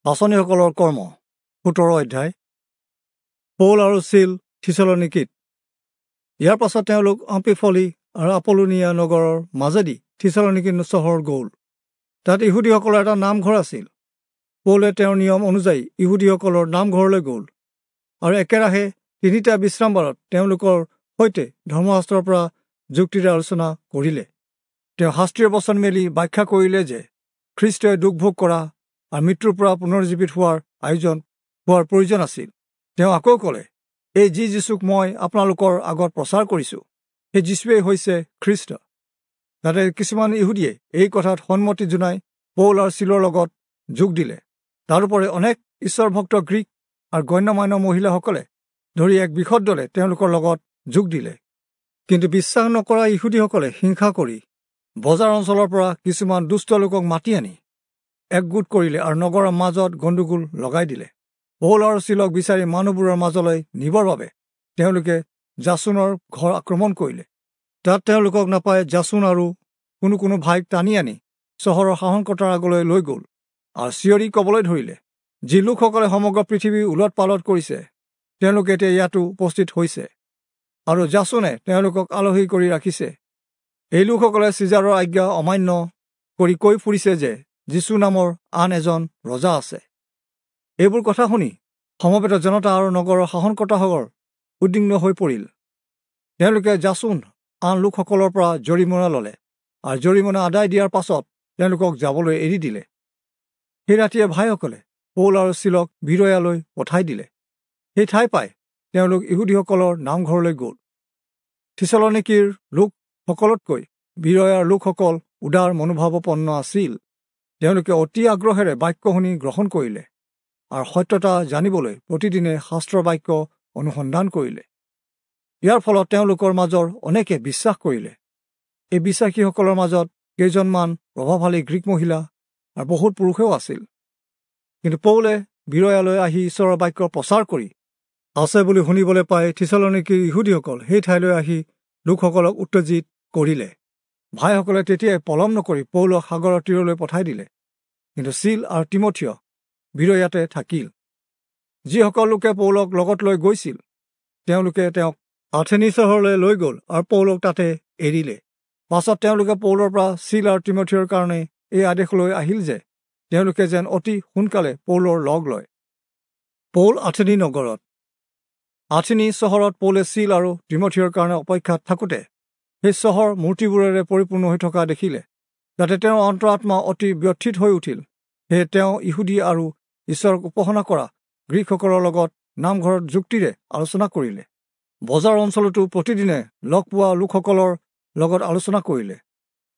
পাঁচনিসকলৰ কৰ্ম 17 অধ্যায়। পৌল আৰু চিল থিচলনিকীত। ইয়াৰ পাছত তেওঁলোক অম্পিফলি আৰু আপোলোনিয়া নগৰৰ মাজেদি থিচলনিকী চহৰ গ'ল। তাত ইহুদীসকলৰ এটা নামঘৰ আছিল। পৌলে তেওঁৰ নিয়ম অনুযায়ী ইহুদীসকলৰ নামঘৰলৈ গ'ল আৰু একেৰাহে 3টা বিশ্ৰামবাৰত তেওঁলোকৰ সৈতে ধৰ্মশাস্ত্ৰৰ পৰা যুক্তিৰে আলোচনা কৰিলে। তেওঁ শাস্ত্ৰীয় বচন মেলি ব্যাখ্যা কৰিলে যে খ্ৰীষ্টই দুখ ভোগ কৰা আৰু মৃত্যুৰ পৰা পুনৰ্জীৱিত হোৱাৰ আয়োজন হোৱাৰ প্ৰয়োজন আছিল। তেওঁ আকৌ ক'লে, এই যি যীচুক মই আপোনালোকৰ আগত প্ৰচাৰ কৰিছোঁ, সেই যীচুৱেই হৈছে খ্ৰীষ্ট। তাতে কিছুমান ইহুদীয়ে এই কথাত সন্মতি জনাই পৌল আৰু চিলৰ লগত যোগ দিলে। তাৰোপৰি অনেক ঈশ্বৰভক্ত গ্ৰীক আৰু গণ্যমান্য মহিলাসকলে ধৰি এক বৃহৎ দলে তেওঁলোকৰ লগত যোগ দিলে। কিন্তু বিশ্বাস নকৰা ইহুদীসকলে হিংসা কৰি বজাৰ অঞ্চলৰ পৰা কিছুমান দুষ্ট লোকক মাতি আনি একগোট কৰিলে আৰু নগৰৰ মাজত গণ্ডগোল লগাই দিলে। পৌল আৰু চিলক বিচাৰি মানুহবোৰৰ মাজলৈ নিবৰ বাবে তেওঁলোকে জাচোনৰ ঘৰ আক্ৰমণ কৰিলে। তাত তেওঁলোকক নাপাই জাচোন আৰু কোনো কোনো ভাইক টানি আনি চহৰৰ শাসনকৰ্তাৰ আগলৈ লৈ গ'ল আৰু চিঞৰি ক'বলৈ ধৰিলে, যি লোকসকলে সমগ্ৰ পৃথিৱী ওলট পালট কৰিছে, তেওঁলোকে এতিয়া ইয়াতো উপস্থিত হৈছে আৰু জাচোনে তেওঁলোকক আলহী কৰি ৰাখিছে। এই লোকসকলে চিজাৰৰ আজ্ঞা অমান্য কৰি কৈ ফুৰিছে যে যীচু নামৰ আন এজন ৰজা আছে। এইবোৰ কথা শুনি সমবেত জনতা আৰু নগৰৰ শাসনকৰ্তাসকল উদ্বিগ্ন হৈ পৰিল। তেওঁলোকে জাচোন আন লোকসকলৰ পৰা জৰিমনা ল'লে আৰু জৰিমনা আদায় দিয়াৰ পাছত তেওঁলোকক যাবলৈ এৰি দিলে। সেই ৰাতিয়ে ভাইসকলে পৌল আৰু চিলক বিৰয়ালৈ পঠাই দিলে। সেই ঠাই পাই তেওঁলোক ইহুদীসকলৰ নামঘৰলৈ গ'ল। থিচলনিকীৰ লোকসকলতকৈ বিৰয়াৰ লোকসকল উদাৰ মনোভাৱপন্ন আছিল। তেওঁলোকে অতি আগ্ৰহেৰে বাক্য শুনি গ্ৰহণ কৰিলে আৰু সত্যতা জানিবলৈ প্ৰতিদিনে শাস্ত্ৰৰ বাক্য অনুসন্ধান কৰিলে। ইয়াৰ ফলত তেওঁলোকৰ মাজৰ অনেকে বিশ্বাস কৰিলে। এই বিশ্বাসীসকলৰ মাজত কেইজনমান প্ৰভাৱশালী গ্ৰীক মহিলা আৰু বহুত পুৰুষেও আছিল। কিন্তু পৌলে বিৰয়ালৈ আহি ঈশ্বৰৰ বাক্য প্ৰচাৰ কৰি আছে বুলি শুনিবলৈ পাই থিচলনিকীৰ ইহুদীসকল সেই ঠাইলৈ আহি লোকসকলক উত্তেজিত কৰিলে। ভাইসকলে তেতিয়াই পলম নকৰি পৌলক সাগৰৰ তীৰলৈ পঠাই দিলে। কিন্তু চিল আৰু তিমথিয় বিৰয়াতে থাকিল। যিসকল লোকে পৌলক লগত লৈ গৈছিল, তেওঁলোকে তেওঁক আথেনী চহৰলৈ লৈ গ'ল আৰু পৌলক তাতে এৰিলে। পাছত তেওঁলোকে পৌলৰ পৰা চিল আৰু তিমথিয়ৰ কাৰণে এই আদেশ লৈ আহিল যে তেওঁলোকে যেন অতি সোনকালে পৌলৰ লগ লয়। পৌল আথেনী নগৰত। আথেনী চহৰত পৌলে চিল আৰু তিমথিয়ৰ কাৰণে অপেক্ষাত থাকোঁতে সেই চহৰ মূৰ্তিবোৰেৰে পৰিপূৰ্ণ হৈ থকা দেখিলে। যাতে তেওঁৰ অন্তৰাত্মা অতি ব্যথিত হৈ উঠিল। সেয়ে তেওঁ ইহুদী আৰু ঈশ্বৰক উপাসনা কৰা গ্ৰীকসকলৰ লগত নামঘৰত যুক্তিৰে আলোচনা কৰিলে। বজাৰ অঞ্চলতো প্ৰতিদিনে লগ পোৱা লোকসকলৰ লগত আলোচনা কৰিলে।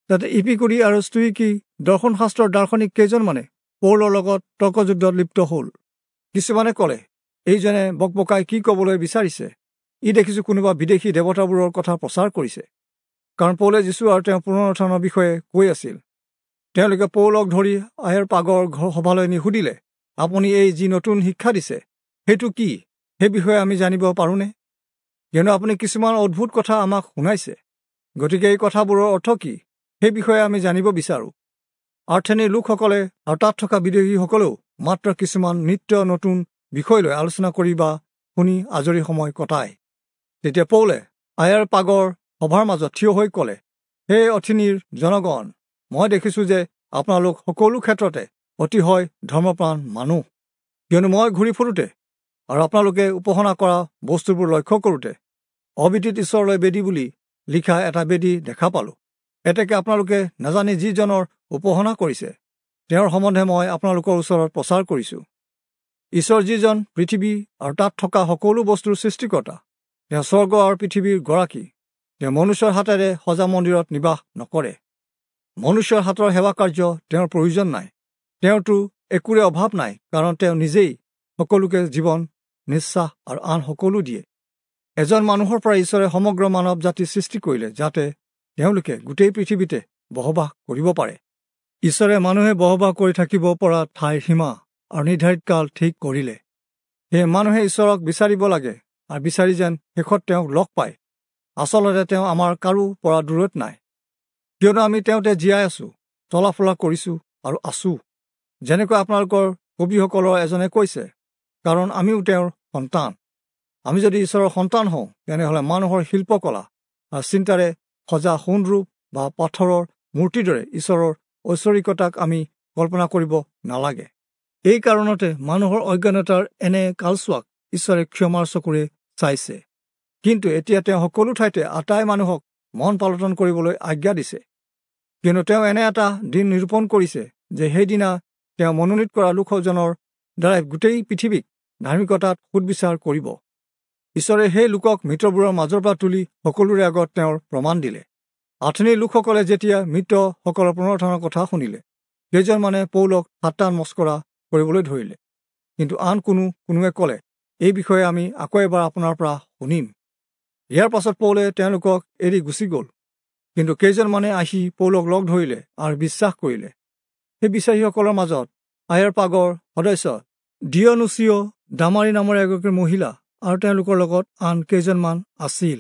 তাতে ইপিকুৰী আৰু স্তোয়িকী দৰ্শনশাস্ত্ৰৰ দাৰ্শনিক কেইজনমানে পৌলৰ লগত তৰ্কযুদ্ধত লিপ্ত হ'ল। কিছুমানে ক'লে, এইজনে বকবকাই কি ক'বলৈ বিচাৰিছে? ই দেখিছোঁ কোনোবা বিদেশী দেৱতাবোৰৰ কথা প্ৰচাৰ কৰিছে। কাৰণ পৌলে যীচু আৰু তেওঁৰ পুনৰুত্থানৰ বিষয়ে কৈ আছিল। তেওঁলোকে পৌলক ধৰি আয়েৰ পাগৰ সভালৈ নি সুধিলে, আপুনি এই যি নতুন শিক্ষা দিছে সেইটো কি? সেই বিষয়ে আমি জানিব পাৰোঁনে? কিয়নো আপুনি কিছুমান অদ্ভুত কথা আমাক শুনাইছে। গতিকে এই কথাবোৰৰ অৰ্থ কি সেই বিষয়ে আমি জানিব বিচাৰোঁ। আৰ্থেনীৰ লোকসকলে আৰু তাত থকা বিদেশীসকলেও মাত্ৰ কিছুমান নিত্য নতুন বিষয় লৈ আলোচনা কৰি বা শুনি আজৰি সময় কটায়। তেতিয়া পৌলে আয়াৰ পাগৰ সভাৰ মাজত থিয় হৈ ক'লে, হে অথিনীৰ জনগণ, মই দেখিছোঁ যে আপোনালোক সকলো ক্ষেত্ৰতে অতিশয় ধৰ্মপ্ৰাণ মানুহ। কিয়নো মই ঘূৰি ফুৰোঁতে আৰু আপোনালোকে উপাসনা কৰা বস্তুবোৰ লক্ষ্য কৰোঁতে অবিদিত ঈশ্বৰলৈ বেদী বুলি লিখা এটা বেদী দেখা পালোঁ। এতেকে আপোনালোকে নাজানি যিজনৰ উপাসনা কৰিছে তেওঁৰ সম্বন্ধে মই আপোনালোকৰ ওচৰত প্ৰচাৰ কৰিছোঁ। ঈশ্বৰ যিজন পৃথিৱী আৰু তাত থকা সকলো বস্তুৰ সৃষ্টিকৰ্তা, তেওঁ স্বৰ্গ আৰু পৃথিৱীৰ গৰাকী। তেওঁ মনুষ্যৰ হাতেৰে সজা মন্দিৰত নিবাস নকৰে। মনুষ্যৰ হাতৰ সেৱা কাৰ্য তেওঁৰ প্ৰয়োজন নাই। তেওঁতো একোৰে অভাৱ নাই, কাৰণ তেওঁ নিজেই সকলোকে জীৱন, নিশ্বাস আৰু আন সকলো দিয়ে। এজন মানুহৰ পৰা ঈশ্বৰে সমগ্ৰ মানৱ জাতি সৃষ্টি কৰিলে, যাতে তেওঁলোকে গোটেই পৃথিৱীতে বসবাস কৰিব পাৰে। ঈশ্বৰে মানুহে বসবাস কৰি থাকিব পৰা ঠাইৰ সীমা আৰু নিৰ্ধাৰিত কাল ঠিক কৰিলে। সেয়ে মানুহে ঈশ্বৰক বিচাৰিব লাগে আৰু বিচাৰি যেন শেষত তেওঁক লগ পায়। আচলতে তেওঁ আমাৰ কাৰো পৰা দূৰত নাই, কিয়নো আমি তেওঁতে জীয়াই আছোঁ, চলাফুৰা কৰিছোঁ আৰু আছোঁ। যেনেকৈ আপোনালোকৰ কবিসকলৰ এজনে কৈছে, কাৰণ আমিও তেওঁৰ সন্তান। আমি যদি ঈশ্বৰৰ সন্তান হওঁ, তেনেহ'লে মানুহৰ শিল্পকলা আৰু চিন্তাৰে সজা সোণৰূপ বা পাথৰৰ মূৰ্তিৰ দৰে ঈশ্বৰৰ ঐশ্বৰিকতাক আমি কল্পনা কৰিব নালাগে। এই কাৰণতে মানুহৰ অজ্ঞানতাৰ এনে কালচোৱাক ঈশ্বৰে ক্ষমাৰ চকুৰে চাইছে। কিন্তু এতিয়া তেওঁ সকলো ঠাইতে আটাই মানুহক মন পালটন কৰিবলৈ আজ্ঞা দিছে। কিন্তু তেওঁ এনে এটা দিন নিৰূপণ কৰিছে যে সেইদিনা তেওঁ মনোনীত কৰা লোকজনৰ দ্বাৰাই গোটেই পৃথিৱীক ধাৰ্মিকতাত সুদবিচাৰ কৰিব। ঈশ্বৰে সেই লোকক মৃতবোৰৰ মাজৰ পৰা তুলি সকলোৰে আগত তেওঁৰ প্ৰমাণ দিলে। আথনিৰ লোকসকলে যেতিয়া মৃতসকলৰ পুনৰুত্থানৰ কথা শুনিলে, কেইজনমানে পৌলক ঠাট্টা মস্কৰা কৰিবলৈ ধৰিলে। কিন্তু আন কোনোৱে ক'লে, এই বিষয়ে আমি আকৌ এবাৰ আপোনাৰ পৰা শুনিম। ইয়াৰ পাছত পৌলে তেওঁলোকক এৰি গুচি গ'ল। কিন্তু কেইজনমানে আহি পৌলক লগ ধৰিলে আৰু বিশ্বাস কৰিলে। সেই বিশ্বাসীসকলৰ মাজত আয়াৰপাগৰ সদস্য ডিয়নুচিঅ' দামাৰী নামৰ এগৰাকী মহিলা আৰু তেওঁলোকৰ লগত আন কেইজনমান আছিল।